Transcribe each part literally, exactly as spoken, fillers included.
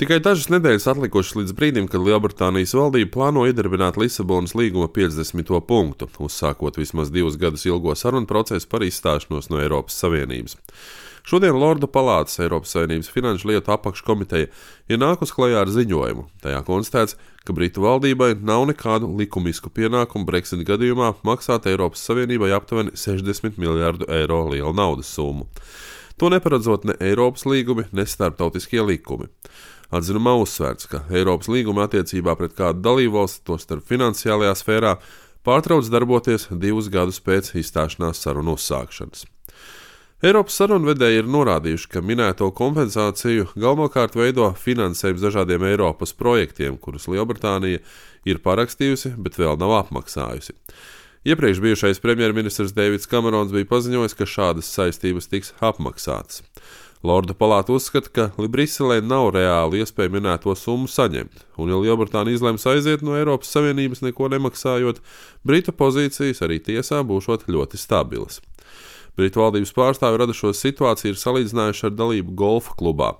Tikai dažas nedēļas atlikušas līdz brīdim, kad Lielbritānijas valdība plāno iedarbināt Lisabonas līguma piecdesmito punktu, uzsākot vismaz divus gadus ilgo sarunu procesu par izstāšanos no Eiropas Savienības. Šodien Lordu palātas Eiropas Savienības finanšu lietu apakškomiteja ir nākus klajā ar ziņojumu. Tajā konstatēts, ka Britu valdībai nav nekādu likumisku pienākumu Brexit gadījumā maksāt Eiropas Savienībai aptuveni sešdesmit miljārdu eiro lielu naudas summu. To neparedzot ne Eiropas līgumi, ne starptautiskie likumi. Atzinumā uzsvērts, ka Eiropas līguma attiecībā pret kādu dalībvalsti, tostarp finansiālajā sfērā, pārtrauc darboties divus gadus pēc izstāšanās sarunu uzsākšanas. Eiropas sarunvedēji ir norādījuši, ka minēto kompensāciju galvenokārt veido finansējums dažādiem Eiropas projektiem, kurus Lielbritānija ir parakstījusi, bet vēl nav apmaksājusi. Iepriekš bijušais premjerministrs Deivids Kamerons bija paziņojis, ka šādas saistības tiks apmaksātas. Lordu palāta uzskata, ka Briselē nav reāli iespēja minēto summu saņemt, un ja Lielbritānija izlems aiziet no Eiropas Savienības neko nemaksājot, Britu pozīcijas arī tiesā būšot ļoti stabilas. Britu valdības pārstāvi radušo situāciju ir salīdzinājuši ar dalību golfa klubā,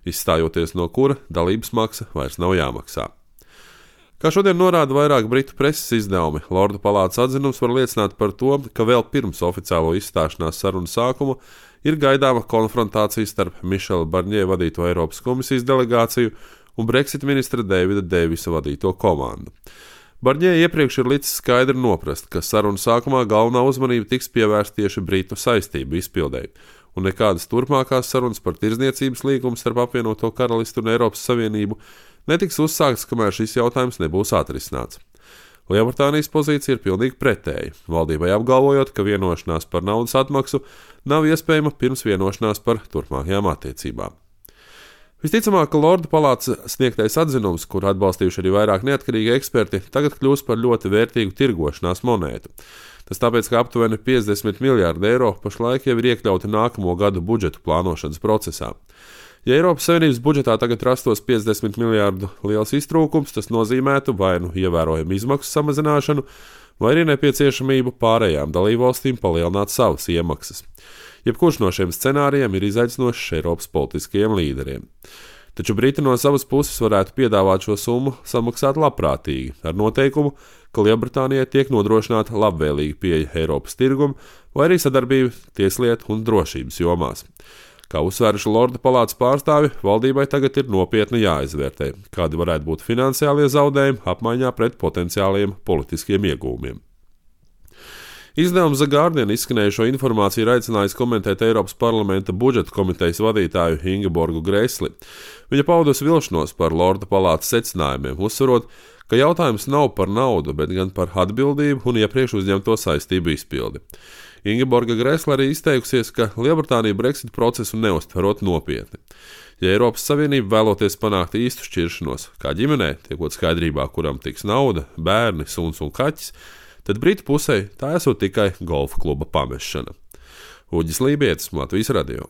izstājoties no kura dalības maksa vairs nav jāmaksā. Kā šodien norāda vairāk britu preses izdevumi, Lordu palātas atzinums var liecināt par to, ka vēl pirms oficiālo izstāšanās sarunu sākuma ir gaidāma konfrontācija starp Mišela Barņē vadīto Eiropas komisijas delegāciju un Brexit ministra Davida Deivisa vadīto komandu. Barņē iepriekš ir licis skaidri noprast, ka sarunu sākumā galvenā uzmanība tiks pievērsta tieši Britu saistību izpildēji, un nekādas turpmākās sarunas par tirdzniecības līgumu starp apvienoto karalisti un Eiropas Savienību netiks uzsākts, kamēr šis jautājums nebūs atrisināts. Lielbritānijas pozīcija ir pilnīgi pretēja, valdībai apgalvojot, ka vienošanās par naudas atmaksu nav iespējama pirms vienošanās par turpmākajām attiecībām. Visticamāk, ka Lordu palātas sniegtais atzinums, kur atbalstījuši arī vairāk neatkarīgi eksperti, tagad kļūs par ļoti vērtīgu tirgošanās monētu. Tas tāpēc, ka aptuveni piecdesmit miljārdi eiro pašlaik jau ir iekļauti nākamo gadu budžetu plānošanas procesā. Ja Eiropas Savienības budžetā tagad rastos piecdesmit miljārdu liels iztrūkums, tas nozīmētu vai nu ievērojamu izmaksu samazināšanu, vai arī nepieciešamību pārējām dalībvalstīm palielināt savas iemaksas. Jebkurš no šiem scenārijiem ir izaicinošs Eiropas politiskajiem līderiem. Taču Briti no savas puses varētu piedāvāt šo summu samaksāt labprātīgi, ar noteikumu, ka Lielbritānijai tiek nodrošināta labvēlīga pieeja Eiropas tirgumu vai arī sadarbība tieslietu un drošības jomās. Kā uzsvēruši Lordu palātas pārstāvi, valdībai tagad ir nopietni jāizvērtē, kādi varētu būt finansiālie zaudējumi apmaiņā pret potenciāliem politiskiem iegūmiem. Izdevums The Guardian izskanējušo informāciju ir aicinājis komentēt Eiropas parlamenta budžeta komitejas vadītāju Ingeborgu Gresli. Viņa paudusi vilšanos par Lordu palātas secinājumiem, uzsverot, ka jautājums nav par naudu, bet gan par atbildību un iepriekš uzņemto saistību izpildi. Ingeborga Gresla arī izteikusies, ka Lielbritānija Brexit procesu neuztverot nopietni. Ja Eiropas Savienība vēloties panākt īstu šķiršanos, kā ģimenē, tiekot skaidrībā, kuram tiks nauda, bērni, suns un kaķis, tad Britu pusē tā esot tikai golfa kluba pamešana. Uģis Lībietis, Latvijas radio.